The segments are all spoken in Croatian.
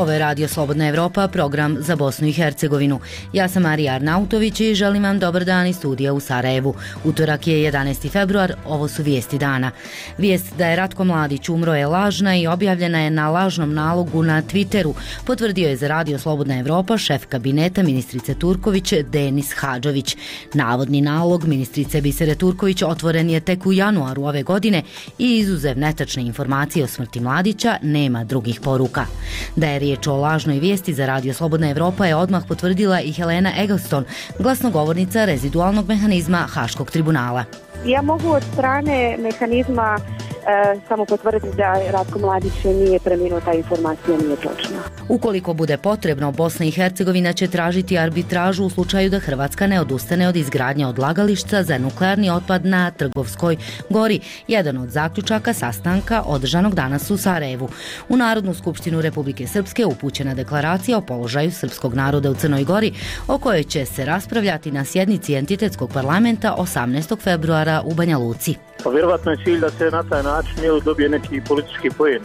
Ovo je Radio Slobodna Evropa, program za Bosnu i Hercegovinu. Ja sam Marija Arnautović i želim vam dobar dan iz studija u Sarajevu. Utorak je 11. februar, ovo su vijesti dana. Vijest da je Ratko Mladić umro je lažna i objavljena je na lažnom nalogu na Twitteru, potvrdio je za Radio Slobodna Evropa šef kabineta ministrice Turković Denis Hadžović. Navodni nalog ministrice Bisere Turković otvoren je tek u januaru ove godine i izuzev netačne informacije o smrti Mladića nema drugih poruka. Da je riječ o lažnoj vijesti za Radio Slobodna Evropa je odmah potvrdila i Helena Eggleston, glasnogovornica rezidualnog mehanizma Haškog tribunala. Ja mogu od strane mehanizma samo potvrditi da Ratko Mladić nije preminuo, ta informacija nije točna. Ukoliko bude potrebno, Bosna i Hercegovina će tražiti arbitražu u slučaju da Hrvatska ne odustane od izgradnje odlagališta za nuklearni otpad na Trgovskoj gori, jedan od zaključaka sastanka održanog danas u Sarajevu. U Narodnu skupštinu Republike Srpske upućena deklaracija o položaju srpskog naroda u Crnoj Gori, o kojoj će se raspravljati na sjednici entitetskog parlamenta 18. februara u Banja Luci. Pa vjerovatno je cilj da se na taj način dobije neki politički poen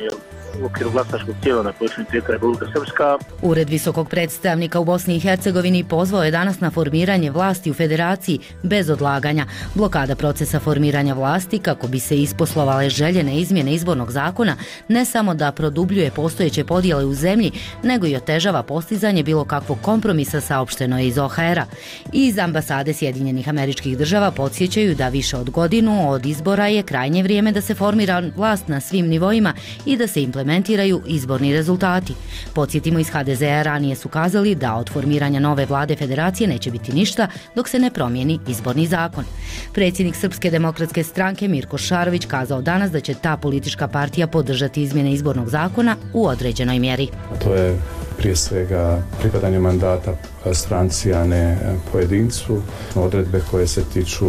u okviru glasačkog tijela na području Republika Srpska. Ured visokog predstavnika u Bosni i Hercegovini pozvao je danas na formiranje vlasti u federaciji bez odlaganja. Blokada procesa formiranja vlasti kako bi se isposlovale željene izmjene izbornog zakona ne samo da produbljuje postojeće podjele u zemlji, nego i otežava postizanje bilo kakvog kompromisa, saopšteno je iz OHR-a. Iz ambasade Sjedinjenih Američkih Država podsjećaju da više od godinu od izbora je krajnje vrijeme da se formira vlast na svim nivoima i da se implementiraju izborni rezultati. Podsjetimo, iz HDZ-a ranije su kazali da od formiranja nove vlade federacije neće biti ništa dok se ne promijeni izborni zakon. Predsjednik Srpske demokratske stranke Mirko Šarović kazao danas da će ta politička partija podržati izmjene izbornog zakona u određenoj mjeri. To je prije svega pripadanje mandata stranci, a ne pojedincu, odredbe koje se tiču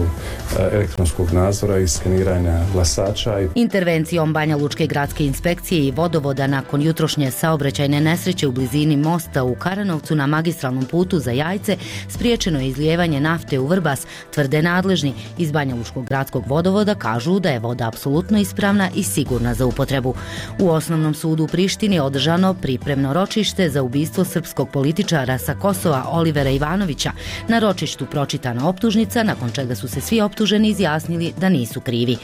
elektronskog nadzora i skeniranja glasača. Intervencijom Banja Lučke gradske inspekcije i vodovoda nakon jutrošnje saobraćajne nesreće u blizini mosta u Karanovcu na magistralnom putu za Jajce spriječeno je izlijevanje nafte u Vrbas, tvrde nadležni. Iz Banja Lučkog gradskog vodovoda kažu da je voda apsolutno ispravna i sigurna za upotrebu. U Osnovnom sudu u Prištini održano pripremno ročište za ubistvo srpskog političara sa Kosova Olivera Ivanovića. Na ročištu pročitana optužnica, nakon čega su se svi optuženi izjasnili da nisu krivi.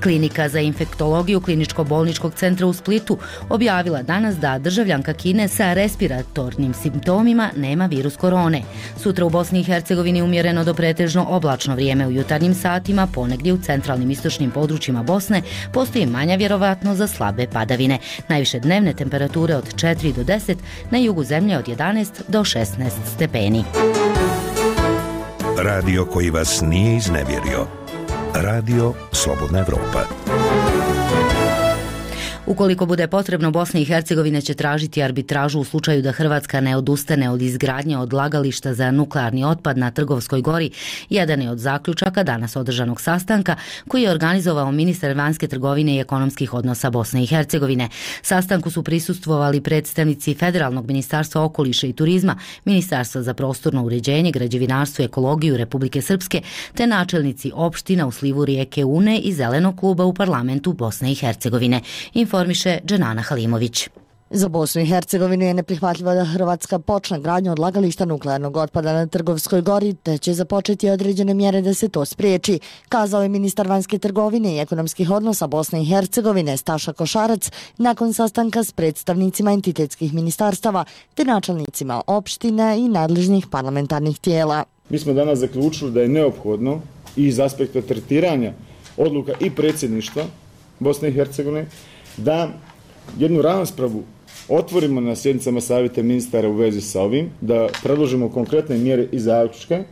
Klinika za infektologiju Kliničko-bolničkog centra u Splitu objavila danas da državljanka Kine sa respiratornim simptomima nema virus korone. Sutra u Bosni i Hercegovini umjereno do pretežno oblačno vrijeme. U jutarnjim satima ponegdje u centralnim istočnim područjima Bosne postoji manja vjerovatnost za slabe padavine. Najviše dnevne temperature od 4 do 10, na jugu zemlje od 11 do 16 stepeni. Radio koji vas nije iznevjerio. Radio Slobodna Evropa. Ukoliko bude potrebno, Bosna i Hercegovina će tražiti arbitražu u slučaju da Hrvatska ne odustane od izgradnje odlagališta za nuklearni otpad na Trgovskoj gori, jedan je od zaključaka danas održanog sastanka koji je organizovao ministar vanjske trgovine i ekonomskih odnosa Bosne i Hercegovine. Sastanku su prisustvovali predstavnici Federalnog ministarstva okoliša i turizma, Ministarstva za prostorno uređenje, građevinarstvo i ekologiju Republike Srpske, te načelnici opština u slivu rijeke Une i Zelenog kluba u parlamentu Bosne i Hercegovine. Informiše Dženana Halimović. Za Bosnu i Hercegovinu je neprihvatljivo da Hrvatska počne gradnju odlagališta nuklearnog otpada na Trgovskoj gori, te će započeti određene mjere da se to spriječi, kazao je ministar vanjske trgovine i ekonomskih odnosa Bosne i Hercegovine Staša Košarac nakon sastanka s predstavnicima entitetskih ministarstava te načelnicima opština i nadležnih parlamentarnih tijela. Mi smo danas zaključili da je neophodno i iz aspekta tretiranja odluka i predsjedništva Bosne i Hercegovine da jednu raspravu otvorimo na sjednicama savjeta ministara u vezi sa ovim, da predložimo konkretne mjere i zaključke,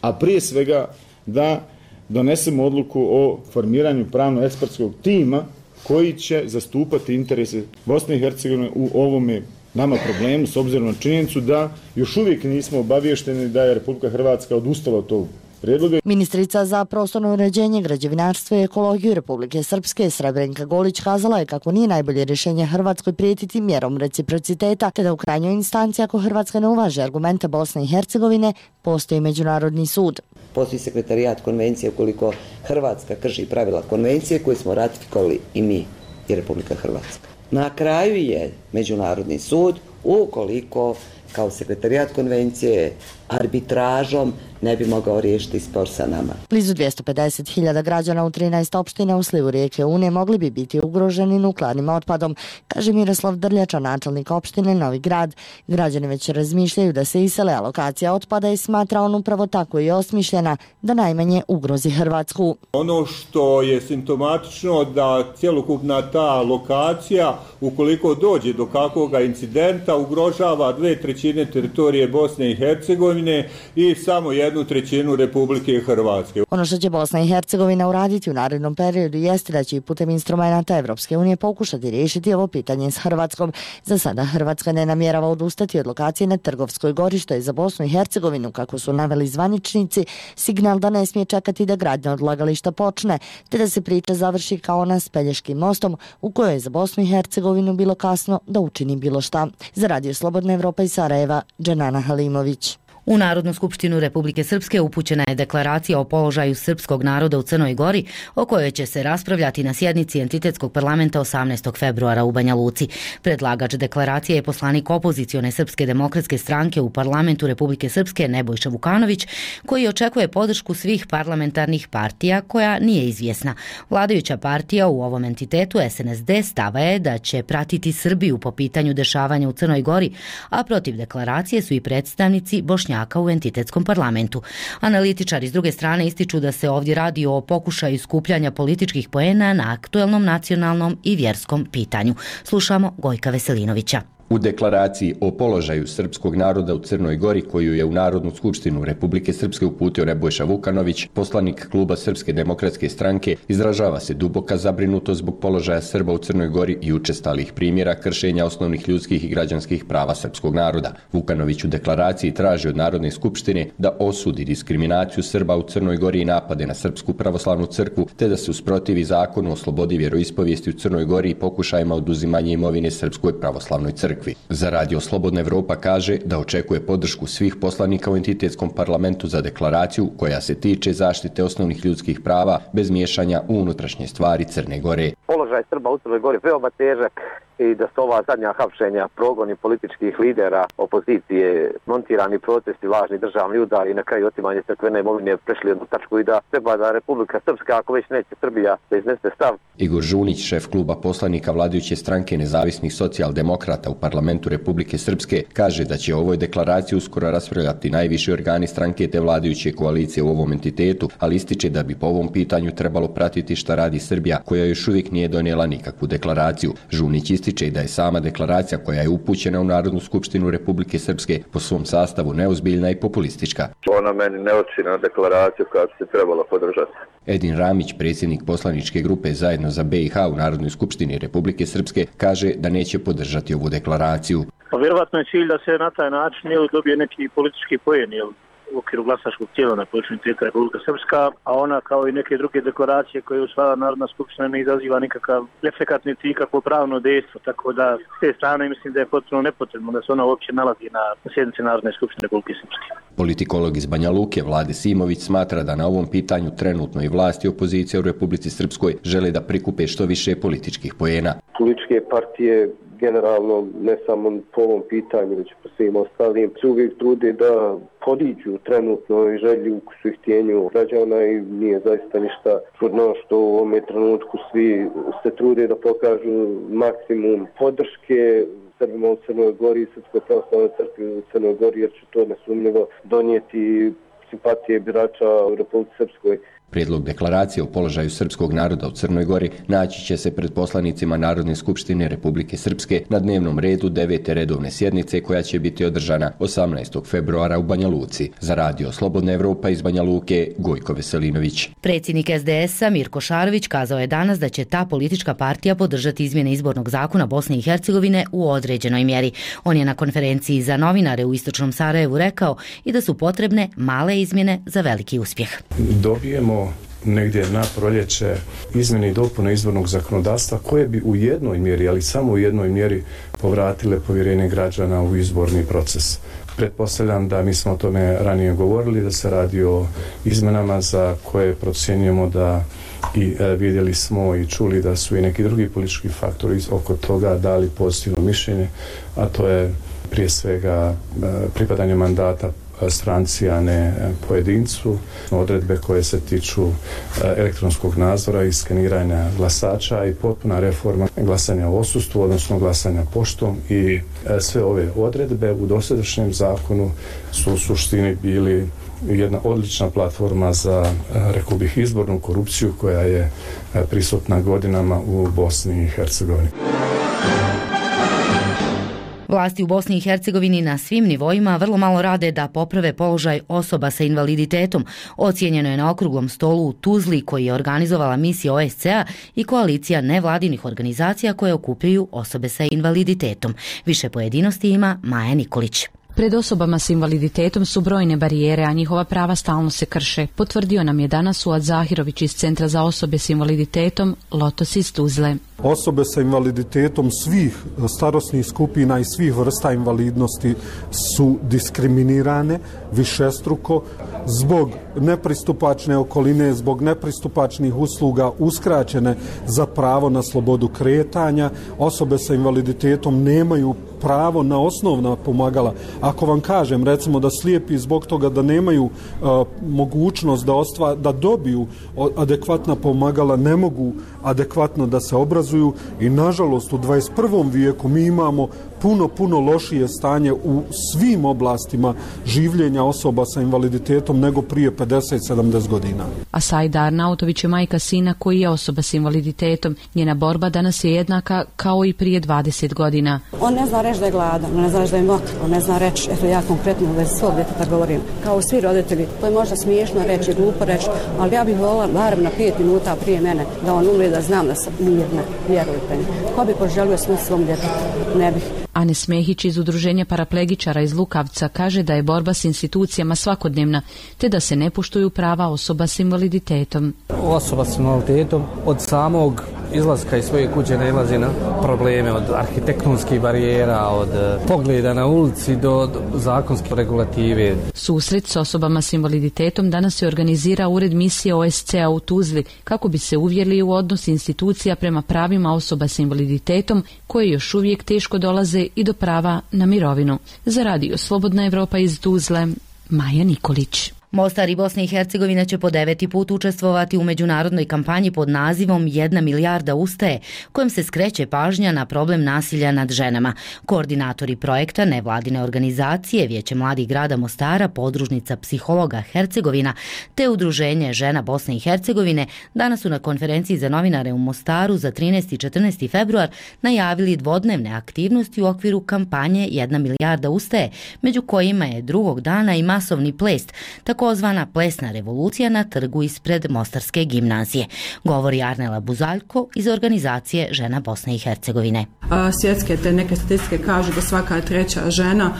a prije svega da donesemo odluku o formiranju pravno-ekspertskog tima koji će zastupati interese Bosne i Hercegovine u ovome nama problemu, s obzirom na činjenicu da još uvijek nismo obaviješteni da je Republika Hrvatska odustala od tog prijedloga. Ministrica za prostorno uređenje, građevinarstvo i ekologiju Republike Srpske Srebrenka Golić kazala je kako nije najbolje rješenje Hrvatskoj prijetiti mjerom reciprociteta, te da u krajnjoj instanci ako Hrvatska ne uvaži argumente Bosne i Hercegovine, postoji Međunarodni sud. Postoji sekretarijat konvencije ukoliko Hrvatska krši pravila konvencije koje smo ratifikovali i mi i Republika Hrvatska. Na kraju je Međunarodni sud ukoliko kao sekretarijat konvencije arbitražom ne bi mogao riješiti spor sa nama. Blizu 250.000 građana u 13 opština u slivu rijeke Une mogli bi biti ugroženi nuklearnim otpadom, kaže Miroslav Drljača, načelnik opštine Novi Grad. Građani već razmišljaju da se isele, a lokacija otpada i smatra on upravo tako i osmišljena da najmanje ugrozi Hrvatsku. Ono što je simptomatično da cjelokupna ta lokacija, ukoliko dođe do kakvog incidenta, ugrožava 2/3 teritorije Bosne i Hercegovine i samo 1/3 Republike Hrvatske. Ono što će Bosna i Hercegovina uraditi u narednom periodu jeste da će i putem instrumenta Evropske unije pokušati riješiti ovo pitanje s Hrvatskom. Za sada Hrvatska ne namjerava odustati od lokacije na Trgovskoj gori, što je za Bosnu i Hercegovinu, kako su naveli zvaničnici, signal da ne smije čekati da gradnja odlagališta počne, te da se priča završi kao ona s Pelješkim mostom, u kojoj je za Bosnu i Hercegovinu bilo kasno da učini bilo šta. Za Radio Slobodna Evropa iz Sarajeva, Dženana Halimović. U Narodnu skupštinu Republike Srpske upućena je deklaracija o položaju srpskog naroda u Crnoj Gori, o kojoj će se raspravljati na sjednici Entitetskog parlamenta 18. februara u Banja Luci. Predlagač deklaracije je poslanik opozicione Srpske demokratske stranke u parlamentu Republike Srpske Nebojša Vukanović, koji očekuje podršku svih parlamentarnih partija, koja nije izvjesna. Vladajuća partija u ovom entitetu, SNSD, stava je da će pratiti Srbiju po pitanju dešavanja u Crnoj Gori, a protiv deklaracije su i predstavnici Bošnjaka u entitetskom parlamentu. Analitičari s druge strane ističu da se ovdje radi o pokušaju skupljanja političkih poena na aktuelnom nacionalnom i vjerskom pitanju. Slušamo Gojka Veselinovića. U deklaraciji o položaju srpskog naroda u Crnoj Gori, koju je u Narodnu skupštinu Republike Srpske uputio Nebojša Vukanović, poslanik kluba Srpske demokratske stranke, izražava se duboka zabrinutost zbog položaja Srba u Crnoj Gori i učestalih primjera kršenja osnovnih ljudskih i građanskih prava srpskog naroda. Vukanović u deklaraciji traži od Narodne skupštine da osudi diskriminaciju Srba u Crnoj Gori i napade na Srpsku pravoslavnu crkvu, te da se usprotivi zakonu o slobodi vjeroispovijesti u Crnoj Gori i pokušajima oduzimanja imovine Srpskoj pravoslavnoj crkvi. Za Radio Slobodna Evropa kaže da očekuje podršku svih poslanika u entitetskom parlamentu za deklaraciju koja se tiče zaštite osnovnih ljudskih prava bez miješanja u unutrašnje stvari Crne Gore. Položaj Srba u Crnoj Gori veoma težak i da su ova zadnja hapšenja, progoni političkih lidera opozicije, montirani protesti, lažni državni udari i na kraju otimanje crkvene imovine prešli jednu tačku i da treba da Republika Srpska, ako već neće Srbija, da iznese stav. Igor Žunić, šef kluba poslanika vladajuće stranke nezavisnih socijaldemokrata u parlamentu Republike Srpske, kaže da će o ovoj deklaraciji uskoro raspravljati najviši organi stranke te vladajuće koalicije u ovom entitetu, ali ističe da bi po ovom pitanju trebalo pratiti šta radi Srbija, koja još uvijek nije donijela nikakvu deklaraciju. Žunić ističe da je sama deklaracija koja je upućena u Narodnu skupštinu Republike Srpske po svom sastavu neozbiljna i populistička. Ona meni ne oči na deklaraciju koja bi se trebala podržati. Edin Ramić, predsjednik poslaničke grupe Zajedno za BiH u Narodnoj skupštini Republike Srpske, kaže da neće podržati ovu deklaraciju. Pa vjerovatno je cilj da se na taj način dobije neki politički poen, u okviru glasačkog tijela na području entiteta Republika Srpska, a ona kao i neke druge deklaracije koje usvaja Narodna skupština ne izaziva nikakav efekat niti nikakvo pravno dejstvo, tako da s te strane mislim da je potpuno nepotrebno da se ona uopće nalazi na sjednici Narodne skupštine Republike Srpske. Politikolog iz Banja Luke Vlade Simović smatra da na ovom pitanju trenutno i vlast i opozicija u Republici Srpskoj žele da prikupe što više političkih poena. Političke partije generalno, ne samo po ovom pitanju, već po svim ostalim, se uvijek trude da podiđu trenutno i želju ukusu i htjenju građana i nije zaista ništa čudno što u ovom trenutku svi se trude da pokažu maksimum podrške Srbima u Crnoj Gori i Srpskoj pravoslavnoj crkvi u Crnoj Gori, jer će to nesumnjivo donijeti simpatije birača u Republici Srpskoj. Prijedlog deklaracije o položaju srpskog naroda u Crnoj Gori naći će se pred poslanicima Narodne skupštine Republike Srpske na dnevnom redu 9. redovne sjednice koja će biti održana 18. februara u Banja Luci. Za Radio Slobodna Evropa iz Banja Luke, Gojko Veselinović. Predsjednik SDS-a Mirko Šarović kazao je danas da će ta politička partija podržati izmjene izbornog zakona Bosne i Hercegovine u određenoj mjeri. On je na konferenciji za novinare u Istočnom Sarajevu rekao i da su potrebne male izmjene za veliki uspjeh. Dobijemo negdje na proljeće izmjene i dopune izbornog zakonodavstva koje bi u jednoj mjeri, ali samo u jednoj mjeri povratile povjerenje građana u izborni proces. Pretpostavljam da mi smo o tome ranije govorili, da se radi o izmenama za koje procjenjujemo da i vidjeli smo i čuli da su i neki drugi politički faktori oko toga dali pozitivno mišljenje, a to je prije svega pripadanje mandata stranci, a ne pojedincu, odredbe koje se tiču elektronskog nadzora i skeniranja glasača i potpuna reforma glasanja u odsustvu, odnosno glasanja poštom, i sve ove odredbe u dosadašnjem zakonu su u suštini bili jedna odlična platforma za, rekao bih, izbornu korupciju koja je prisutna godinama u Bosni i Hercegovini. Vlasti u Bosni i Hercegovini na svim nivoima vrlo malo rade da poprave položaj osoba sa invaliditetom. Ocijenjeno je na okruglom stolu u Tuzli koji je organizovala misija OSCE-a i koalicija nevladinih organizacija koje okupljaju osobe sa invaliditetom. Više pojedinosti ima Maja Nikolić. Pred osobama s invaliditetom su brojne barijere, a njihova prava stalno se krše. Potvrdio nam je danas Suad Zahirović iz Centra za osobe s invaliditetom Lotos iz Tuzle. Osobe sa invaliditetom svih starosnih skupina i svih vrsta invalidnosti su diskriminirane višestruko zbog nepristupačne okoline, zbog nepristupačnih usluga, uskraćene za pravo na slobodu kretanja. Osobe sa invaliditetom nemaju pravo na osnovna pomagala. Ako vam kažem, recimo, da slijepi zbog toga da nemaju mogućnost da dobiju adekvatna pomagala, ne mogu adekvatno da se obrazuju, i nažalost u 21. vijeku mi imamo puno lošije stanje u svim oblastima življenja osoba sa invaliditetom nego prije 50-70 godina. A Saida Arnautović je majka sina koji je osoba s invaliditetom. Njena borba danas je jednaka kao i prije 20 godina. On ne zna reći da je gladan, on ne zna reći da je mokar, on ne zna reći, eto ja konkretno u vezi svog djeteta govorim, kao svi roditelji. To je možda smiješno reći, glupo reći, ali ja bih volila barem na 5 minuta prije mene da on umre, da znam da sam mirna, vjerujte mi. Ko bi poželio smrt svom djetetu? Ne bih. Anes Mehić iz Udruženja paraplegičara iz Lukavca kaže da je borba s institucijama svakodnevna, te da se ne poštuju prava osoba s invaliditetom. Osoba s invaliditetom od samog izlaska iz svoje kuće nailazi na probleme, od arhitektonskih barijera, od pogleda na ulici do zakonske regulative. Susret s osobama s invaliditetom danas se organizira Ured misije OSCE-a u Tuzli kako bi se uvjerili u odnos institucija prema pravima osoba s invaliditetom koje još uvijek teško dolaze i do prava na mirovinu. Za Radio Slobodna Evropa iz Tuzle, Maja Nikolić. Mostar i Bosna i Hercegovina će po 9. put učestvovati u međunarodnoj kampanji pod nazivom 1 milijarda ustaje, kojom se skreće pažnja na problem nasilja nad ženama. Koordinatori projekta nevladine organizacije, Vijeće mladih grada Mostara, podružnica psihologa Hercegovina te Udruženje žena Bosne i Hercegovine danas su na konferenciji za novinare u Mostaru za 13. i 14. februar najavili dvodnevne aktivnosti u okviru kampanje 1 milijarda ustaje, među kojima je drugog dana i masovni ples, takozvana plesna revolucija na trgu ispred Mostarske gimnazije. Govori Arnela Buzaljko iz organizacije žena Bosne i Hercegovine. Svjetske te neke statistike kažu da svaka treća žena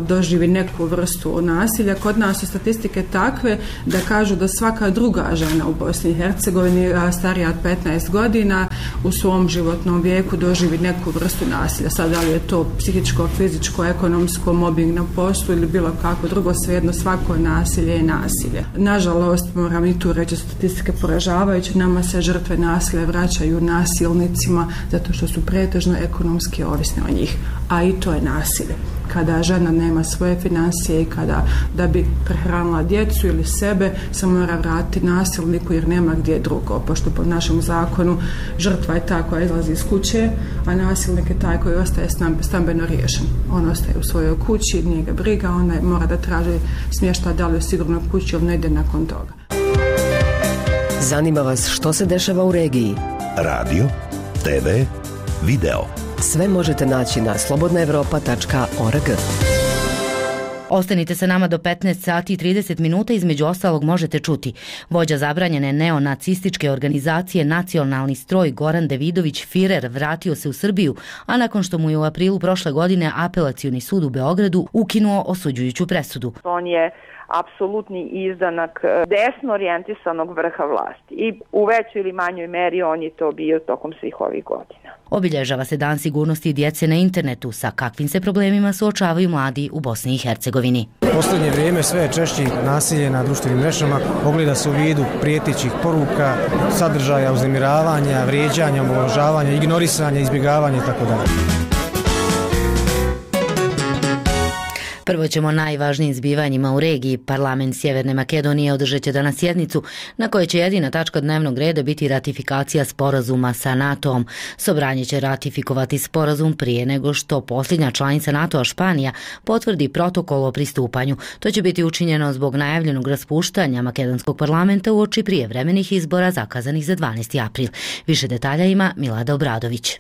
doživi neku vrstu nasilja. Kod nas su statistike takve da kažu da svaka druga žena u Bosni i Hercegovini starija od 15 godina u svom životnom vijeku doživi neku vrstu nasilja. Sad, da li je to psihičko, fizičko, ekonomsko, mobbing na poslu ili bilo kako drugo, svejedno svako nasilje je nasilje. Nažalost, moram i tu reći, statistike poražavajuće, nama se žrtve nasilja vraćaju nasilnicima zato što su pretežno ekonomski ovisni o njih, a i to je nasilje. Kada žena nema svoje financije i kada da bi prehranila djecu ili sebe se mora vratiti nasilniku jer nema gdje drugo, pošto po našem zakonu žrtva je ta koja izlazi iz kuće, a nasilnik je taj koji ostaje stambeno riješen. On ostaje u svojoj kući, nije ga briga, ona mora da traži smještaj da li u sigurnoj kući ili ne ide nakon toga. Zanima vas što se dešava u regiji? Radio, TV, video. Sve možete naći na slobodnaevropa.org. Ostanite sa nama do 15 sati i 30 minuta, između ostalog možete čuti. Vođa zabranjene neonacističke organizacije Nacionalni stroj Goran Devidović Firer vratio se u Srbiju, a nakon što mu je u aprilu prošle godine Apelacioni sud u Beogradu ukinuo osuđujuću presudu. On je apsolutni izdanak desno orijentisanog vrha vlasti i u većoj ili manjoj meri on je to bio tokom svih ovih godina. Obilježava se Dan sigurnosti djece na internetu. Sa kakvim se problemima suočavaju mladi u Bosni i Hercegovini? U posljednje vrijeme sve je češće nasilje na društvenim mrežama, ogleda se u vidu prijetećih poruka, sadržaja, uznemiravanja, vrijeđanja, omalovažavanja, ignorisanja, izbjegavanja itd. Prvo ćemo o najvažnijim zbivanjima u regiji. Parlament Sjeverne Makedonije održat će danas sjednicu na kojoj će jedina tačka dnevnog reda biti ratifikacija sporazuma sa NATO-om. Sobranje će ratifikovati sporazum prije nego što posljednja članica NATO-a Španija potvrdi protokol o pristupanju. To će biti učinjeno zbog najavljenog raspuštanja makedonskog parlamenta uoči prijevremenih izbora zakazanih za 12. april. Više detalja ima Milada Obradović.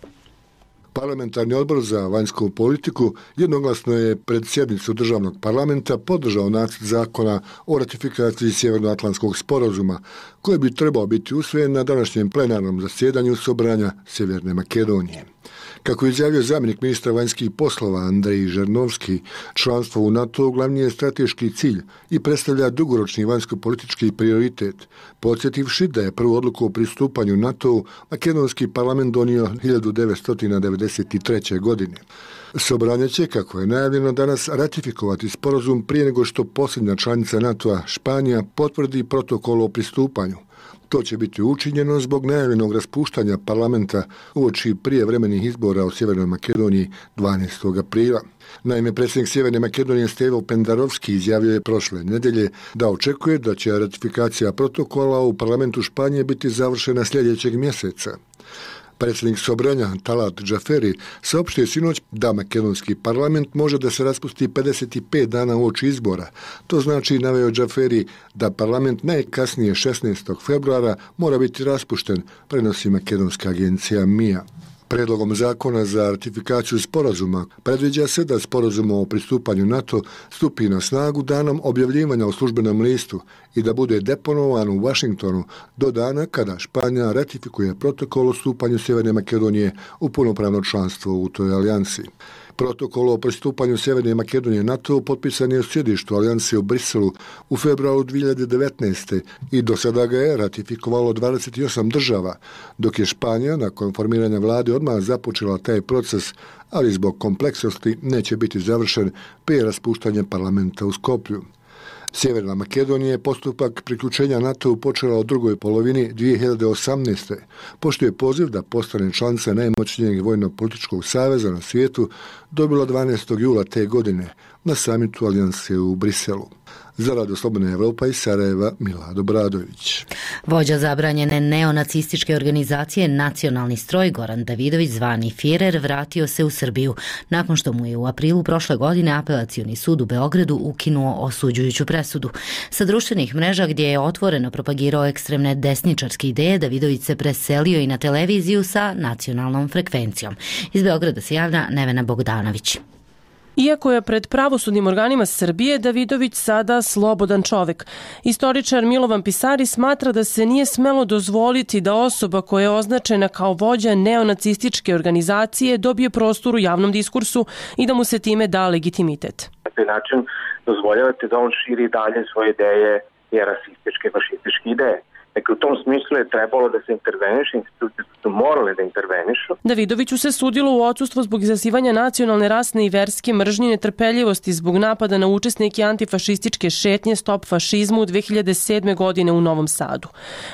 Parlamentarni odbor za vanjsku politiku jednoglasno je pred sjednicu državnog parlamenta podržao nacrt zakona o ratifikaciji Sjevernoatlantskog sporazuma, koji bi trebao biti usvojen na današnjem plenarnom zasjedanju Sobranja Sjeverne Makedonije. Kako je izjavio zamjenik ministra vanjskih poslova Andrej Žernovski, članstvo u NATO glavni je strateški cilj i predstavlja dugoročni vanjsko-politički prioritet, podsjetivši da je prvu odluku o pristupanju NATO-u makedonski parlament donio 1993. godine. Sobranje će, kako je najavljeno danas, ratifikovati sporazum prije nego što posljednja članica NATO-a Španija potvrdi protokol o pristupanju. To će biti učinjeno zbog najavljenog raspuštanja parlamenta uoči prijevremenih izbora u Sjevernoj Makedoniji 12. aprila. Naime, predsjednik Sjeverne Makedonije Stevo Pendarovski izjavio je prošle nedelje da očekuje da će ratifikacija protokola u parlamentu Španije biti završena sljedećeg mjeseca. Predsjednik Sobranja Talat Džaferi saopštio sinoć da makedonski parlament može da se raspusti 55 dana uoči izbora. To znači, naveo Džaferi, da parlament najkasnije 16. februara mora biti raspušten, prenosi makedonska agencija MIA. Predlogom zakona za ratifikaciju sporazuma predviđa se da sporazum o pristupanju NATO stupi na snagu danom objavljivanja u službenom listu i da bude deponovan u Washingtonu do dana kada Španija ratifikuje protokol o stupanju Sjeverne Makedonije u punopravno članstvo u toj alijansi. Protokol o pristupanju Sjeverne Makedonije NATO potpisan je u sjedištu alijanse u Briselu u februaru 2019. i do sada ga je ratifikovalo 28 država, dok je Španija nakon formiranja vlade odmah započela taj proces, ali zbog kompleksnosti neće biti završen prije raspuštanja parlamenta u Skoplju. Sjeverna Makedonija je postupak priključenja NATO-u počela u drugoj polovini 2018. pošto je poziv da postane članica najmoćnijeg vojno-političkog saveza na svijetu dobila 12. jula te godine na samitu alijanse u Briselu. Za Radio Slobodna Evropa iz Sarajeva, Milado Bradović. Vođa zabranjene neonacističke organizacije Nacionalni stroj Goran Davidović, zvani Firer, vratio se u Srbiju nakon što mu je u aprilu prošle godine Apelacioni sud u Beogradu ukinuo osuđujuću presudu. Sa društvenih mreža gdje je otvoreno propagirao ekstremne desničarske ideje, Davidović se preselio i na televiziju sa nacionalnom frekvencijom. Iz Beograda se javlja Nevena Bogdanović. Iako je pred pravosudnim organima Srbije, Davidović sada slobodan čovek. Istoričar Milovan Pisari smatra da se nije smelo dozvoliti da osoba koja je označena kao vođa neonacističke organizacije dobije prostor u javnom diskursu i da mu se time da legitimitet. Na taj način dozvoljavate da on širi dalje svoje ideje i rasističke, fašističke ideje. Dakle, u tom smislu je trebalo da se interveniše, institucije su morale da intervenišu. Davidoviću se sudilo u odsustvu zbog izazivanja nacionalne, rasne i verske mržnje, netrpeljivosti zbog napada na učesnike antifašističke šetnje Stop fašizmu 2007. godine u Novom Sadu.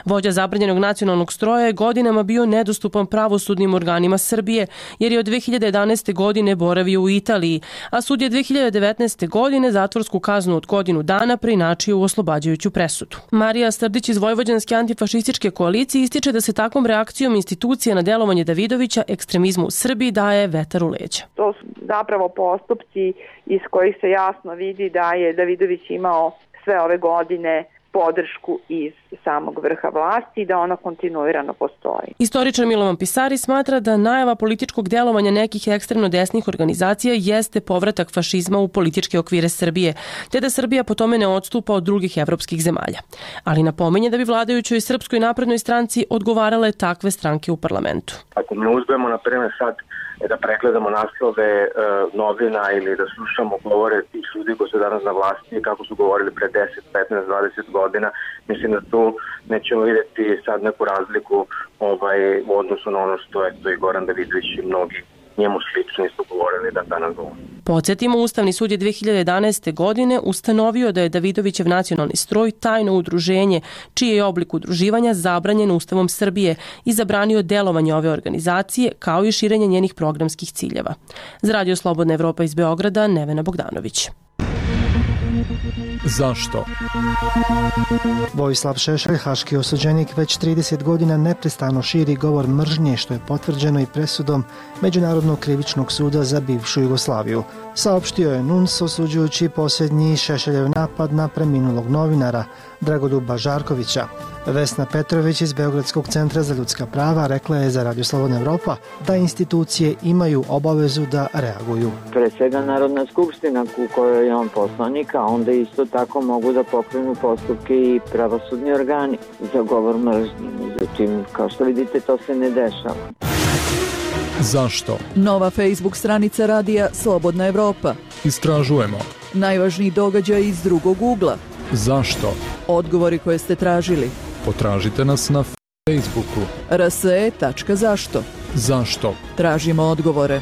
Vođa zabranjenog nacionalnog stroja je godinama bio nedostupan pravosudnim organima Srbije, jer je od 2011. godine boravio u Italiji, a sud je 2019. godine zatvorsku kaznu od godinu dana preinačio u oslobađajuću presudu. Marija Strdić iz Vojvođanske antifašističke koalicije ističe da se takvom reakcijom institucija na delovanje Davidovića ekstremizmu u Srbiji daje vetar u leđa. To su zapravo postupci iz kojih se jasno vidi da je Davidović imao sve ove godine podršku iz samog vrha vlasti i da ona kontinuirano postoji. Istoričar Milovan Pisari smatra da najava političkog delovanja nekih ekstremno desnih organizacija jeste povratak fašizma u političke okvire Srbije, te da Srbija po tome ne odstupa od drugih evropskih zemalja. Ali napominje da bi vladajućoj Srpskoj naprednoj stranci odgovarale takve stranke u parlamentu. Ako mi uzmemo, na primjer, sad da pregledamo naslove novina ili da slušamo govore tih ljudi koji su danas na vlasti kako su govorili pre 10, 15, 20 godina, mislim da tu nećemo vidjeti sad neku razliku u odnosu na ono što je i Goran Davidović i mnogi njemu slični su govorili da danas govori. Podsjetimo, Ustavni sud je 2011. godine ustanovio da je Davidovićev nacionalni stroj tajno udruženje, čiji je oblik udruživanja zabranjen Ustavom Srbije i zabranio delovanje ove organizacije kao i širenje njenih programskih ciljeva. Za Radio Slobodna Evropa iz Beograda, Nevena Bogdanović. Zašto? Vojislav Šešelj, haški osuđenik, već 30 godina neprestano širi govor mržnje, što je potvrđeno i presudom Međunarodnog krivičnog suda za bivšu Jugoslaviju. Saopštio je NUNS osuđujući posljednji Šešeljev napad na preminulog novinara Dragoljuba Žarkovića. Vesna Petrović iz Beogradskog centra za ljudska prava rekla je za Radio Slobodna Evropa da institucije imaju obavezu da reaguju. Pre svega Narodna skupština u kojoj je on poslanik, a onda isto tako mogu da pokrenu postupke i pravosudni organi za govor mržnje. Međutim, kao što vidite, to se ne dešava. Zašto? Nova Facebook stranica radija Slobodna Evropa. Istražujemo. Najvažniji događaj iz drugog ugla. Zašto? Odgovori koje ste tražili. Potražite nas na Facebooku. rse.zašto. Zašto? Tražimo odgovore.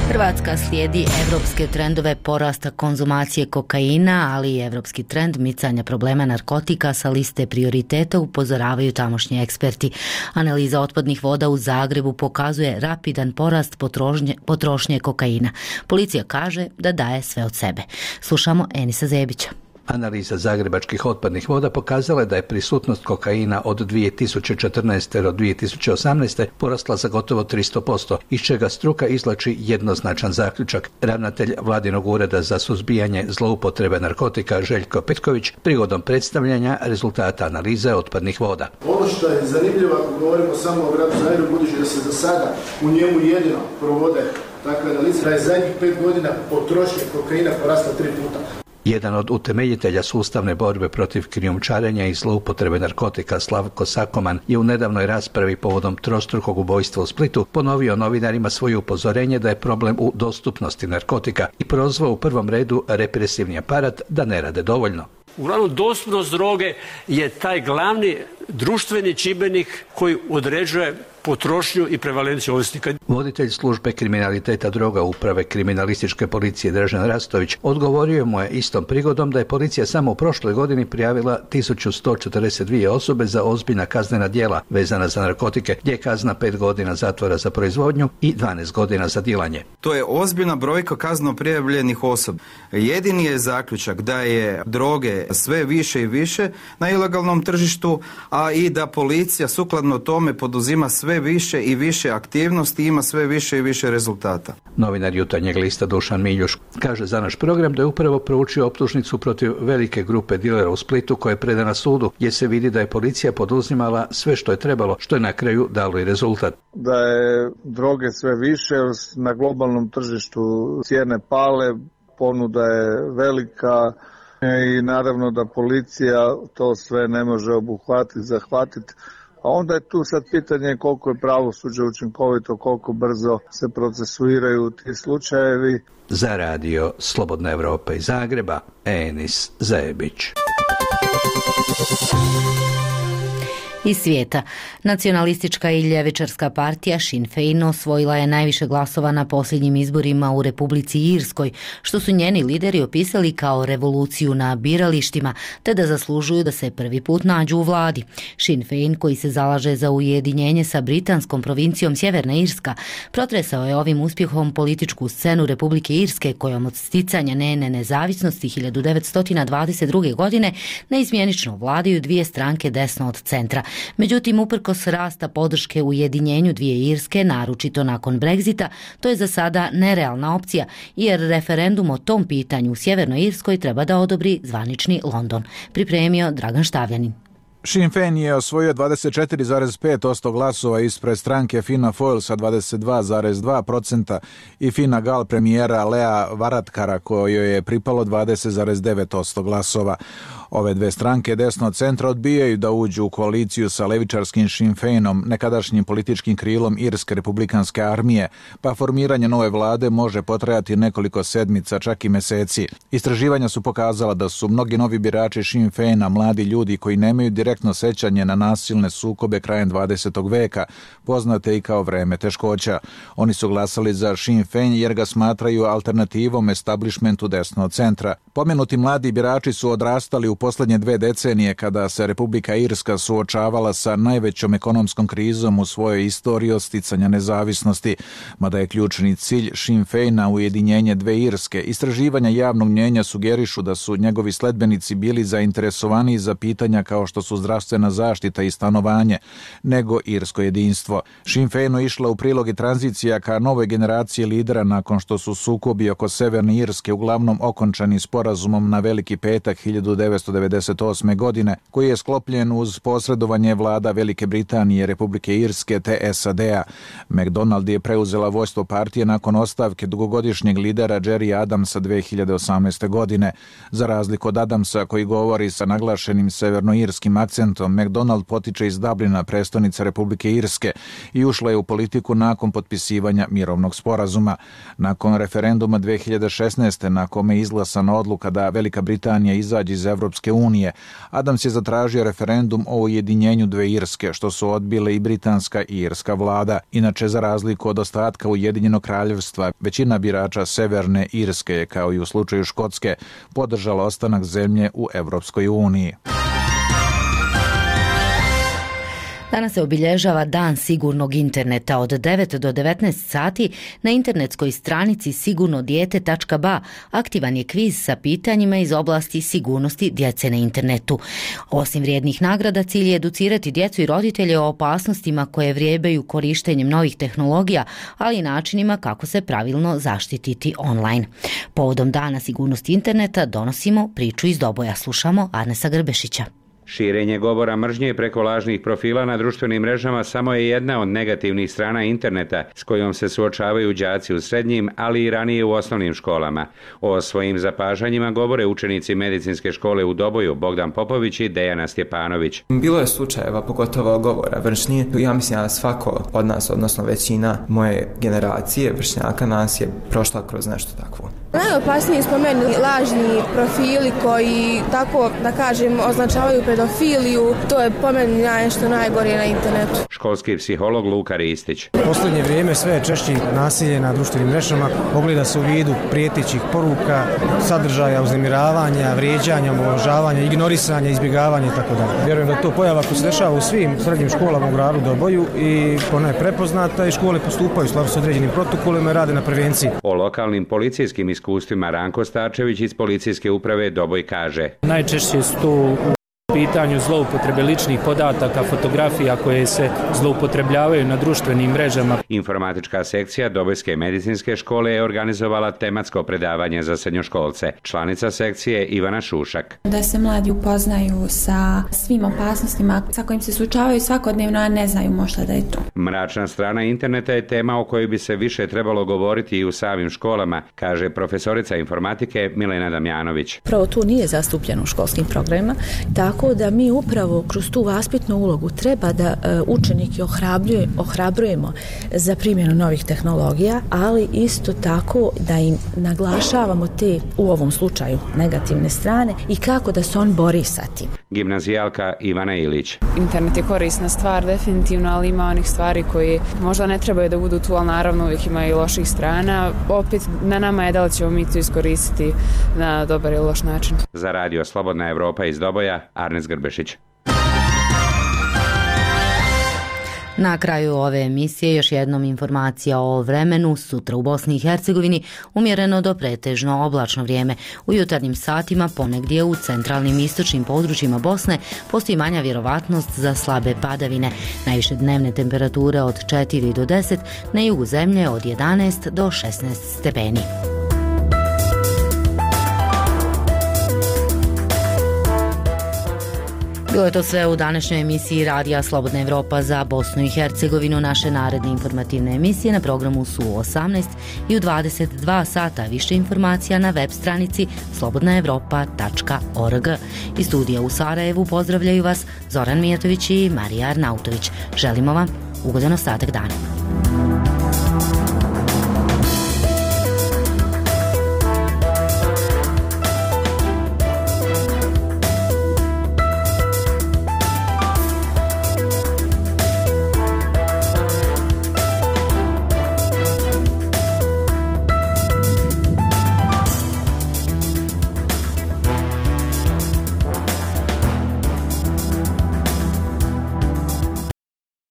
Hrvatska slijedi evropske trendove porasta konzumacije kokaina, ali i evropski trend micanja problema narkotika sa liste prioriteta, upozoravaju tamošnji eksperti. Analiza otpadnih voda u Zagrebu pokazuje rapidan porast potrošnje kokaina. Policija kaže da daje sve od sebe. Slušamo Enisa Zebića. Analiza zagrebačkih otpadnih voda pokazala je da je prisutnost kokaina od 2014. do 2018. porasla za gotovo 300%, iz čega struka izvlači jednoznačan zaključak. Ravnatelj Vladinog ureda za suzbijanje zloupotrebe narkotika Željko Petković prigodom predstavljanja rezultata analize otpadnih voda. Ono što je zanimljivo, ako govorimo samo o gradu Zagrebu, budući da se za sada u njemu jedino provode takve analize, da je zadnjih 5 godina potrošnja kokaina porasla 3 puta. Jedan od utemeljitelja sustavne borbe protiv krijumčarenja i zloupotrebe narkotika Slavko Sakoman je u nedavnoj raspravi povodom trostrukog ubojstva u Splitu ponovio novinarima svoje upozorenje da je problem u dostupnosti narkotika i prozvao u prvom redu represivni aparat da ne rade dovoljno. Uglavnom, dostupnost droge je taj glavni društveni čimbenik koji određuje potrošnju i prevalenciju ovisnika. Voditelj službe kriminaliteta droga uprave kriminalističke policije Dražen Rastović odgovorio mu je istom prigodom da je policija samo u prošloj godini prijavila 1142 osobe za ozbiljna kaznena djela vezana za narkotike, gdje je kazna 5 godina zatvora za proizvodnju i 12 godina za dilanje. To je ozbiljna brojka kazneno prijavljenih osoba. Jedini je zaključak da je droge sve više i više na ilegalnom tržištu, a i da policija sukladno tome poduzima sve više i više aktivnosti i ima sve više i više rezultata. Novinar Jutarnjeg lista Dušan Miljuš kaže za naš program da je upravo proučio optužnicu protiv velike grupe dilera u Splitu koja je predana sudu, gdje se vidi da je policija poduzimala sve što je trebalo, što je na kraju dalo i rezultat. Da je droge sve više, na globalnom tržištu cijene pale, ponuda je velika i naravno da policija to sve ne može obuhvatiti, zahvatiti. A onda je tu sad pitanje koliko je pravosuđe učinkovito, koliko brzo se procesuiraju ti slučajevi. Za radio Slobodna Evropa iz Zagreba, Enis Zebić. Iz svijeta. Nacionalistička i ljevičarska partija Sinn Féin osvojila je najviše glasova na posljednjim izborima u Republici Irskoj, što su njeni lideri opisali kao revoluciju na biralištima, te da zaslužuju da se prvi put nađu u vladi. Sinn Féin, koji se zalaže za ujedinjenje sa britanskom provincijom Sjeverna Irska, protresao je ovim uspjehom političku scenu Republike Irske, kojom od sticanja njene nezavisnosti 1922. godine neizmjenično vladaju dvije stranke desno od centra. Međutim, uprkos rasta podrške ujedinjenju dvije Irske, naročito nakon Brexita, to je za sada nerealna opcija, jer referendum o tom pitanju u Sjevernoj Irskoj treba da odobri zvanični London. Pripremio Dragan Štavljanin. Sinn Féin je osvojio 24,5% glasova ispred stranke Fianna Fáil sa 22,2% i Fine Gael premijera Lea Varadkara kojoj je pripalo 20,9% glasova. Ove dve stranke desno od centra odbijaju da uđu u koaliciju sa levičarskim Sinn Féinom, nekadašnjim političkim krilom Irske republikanske armije, pa formiranje nove vlade može potrajati nekoliko sedmica, čak i meseci. Istraživanja su pokazala da su mnogi novi birači Sinn Féina mladi ljudi koji nemaju direktno sećanje na nasilne sukobe krajem 20. veka, poznate i kao vreme teškoća. Oni su glasali za Sinn Féin jer ga smatraju alternativom establishmentu desno od centra. Pomenuti mladi birači su odrastali u posljednje 2 decenije kada se Republika Irska suočavala sa najvećom ekonomskom krizom u svojoj istoriji od sticanja nezavisnosti, mada je ključni cilj Sinn Feina ujedinjenje 2 Irske. Istraživanja javnog mnjenja sugerišu da su njegovi sledbenici bili zainteresovaniji za pitanja kao što su zdravstvena zaštita i stanovanje, nego irsko jedinstvo. Sinn Feinu išla u prilog i tranzicija ka novoj generaciji lidera nakon što su sukobi oko Severne Irske uglavnom okončani sporazumom na Veliki petak 1998. godine, koji je sklopljen uz posredovanje vlada Velike Britanije, Republike Irske te SAD-a. McDonald je preuzela vodstvo partije nakon ostavke dugogodišnjeg lidera Jerry Adamsa 2018. godine. Za razliku od Adamsa, koji govori sa naglašenim severnoirskim akcentom, McDonald potiče iz Dublina, prestonice Republike Irske, i ušla je u politiku nakon potpisivanja mirovnog sporazuma. Nakon referenduma 2016. na kome je izglasana odluka da Velika Britanija izađe iz Evropske unije, Adams je zatražio referendum o ujedinjenju 2 Irske, što su odbile i britanska i irska vlada. Inače, za razliku od ostatka Ujedinjenog kraljevstva, većina birača Severne Irske je, kao i u slučaju Škotske, podržala ostanak zemlje u Evropskoj uniji. Danas se obilježava Dan sigurnog interneta. Od 9 do 19 sati na internetskoj stranici sigurnodijete.ba aktivan je kviz sa pitanjima iz oblasti sigurnosti djece na internetu. Osim vrijednih nagrada, cilj je educirati djecu i roditelje o opasnostima koje vrijebaju korištenjem novih tehnologija, ali i načinima kako se pravilno zaštititi online. Povodom Dana sigurnosti interneta donosimo priču iz Doboja. Slušamo Arnesa Grbešića. Širenje govora mržnje preko lažnih profila na društvenim mrežama samo je jedna od negativnih strana interneta s kojom se suočavaju đaci u srednjim, ali i ranije u osnovnim školama. O svojim zapažanjima govore učenici medicinske škole u Doboju Bogdan Popović i Dejana Stjepanović. Bilo je slučajeva, pogotovo govora mržnje. Ja mislim da svako od nas, odnosno većina moje generacije vršnjaka nas je prošla kroz nešto takvo. Najopasniji smo meni lažni profili koji, tako da kažem, označavaju pedofiliju. To je po meni nešto najgore na internetu. Školski psiholog Luka Ristić. U posljednje vrijeme sve je češće nasilje na društvenim mrežama, ogleda se u vidu prijetećih poruka, sadržaja uznemiravanja, vrijeđanja, omalovažavanja, ignorisanja, izbjegavanja itd. Vjerujem da to pojava koja se dešava u svim srednjim školama u gradu Doboju i ona je prepoznata i škole postupaju u skladu s određenim protokolima i rade na prevenciji. O lokalnim policijskim iskustvima Ranko Starčević iz policijske uprave Doboj kaže. Najčešće su to pitanju zloupotrebe ličnih podataka, fotografija koje se zloupotrebljavaju na društvenim mrežama. Informatička sekcija Dobojske medicinske škole je organizovala tematsko predavanje za srednjoškolce. Članica sekcije Ivana Šušak. Da se mladi upoznaju sa svim opasnostima sa kojim se suočavaju svakodnevno, a ne znaju možda da je to. Mračna strana interneta je tema o kojoj bi se više trebalo govoriti i u samim školama, kaže profesorica informatike Milena Damjanović. Pravo tu nije zastupljeno u školskim programima, tako da mi upravo kroz tu vaspitnu ulogu treba da učenike ohrabrujemo za primjenu novih tehnologija, ali isto tako da im naglašavamo te, u ovom slučaju, negativne strane i kako da se on bori sa tim. Gimnazijalka Ivana Ilić. Internet je korisna stvar definitivno, ali ima onih stvari koje možda ne trebaju da budu tu, ali naravno uvijek ima i loših strana. Opet na nama je da li ćemo mi to iskoristiti na dobar ili loš način. Za radio Slobodna Evropa iz Doboja, Arnes Grbešić. Na kraju ove emisije još jednom informacija o vremenu. Sutra u Bosni i Hercegovini umjereno do pretežno oblačno vrijeme. U jutarnjim satima ponegdje u centralnim i istočnim područjima Bosne postoji manja vjerovatnost za slabe padavine. Najviše dnevne temperature od 4 do 10, na jugu zemlje od 11 do 16 stepeni. Bilo je to sve u današnjoj emisiji Radija Slobodna Evropa za Bosnu i Hercegovinu. Naše naredne informativne emisije na programu su u 18 i u 22 sata. Više informacija na web stranici slobodnaevropa.org. Iz studija u Sarajevu pozdravljaju vas Zoran Mijatović i Marija Arnautović. Želimo vam ugodan ostatak dana.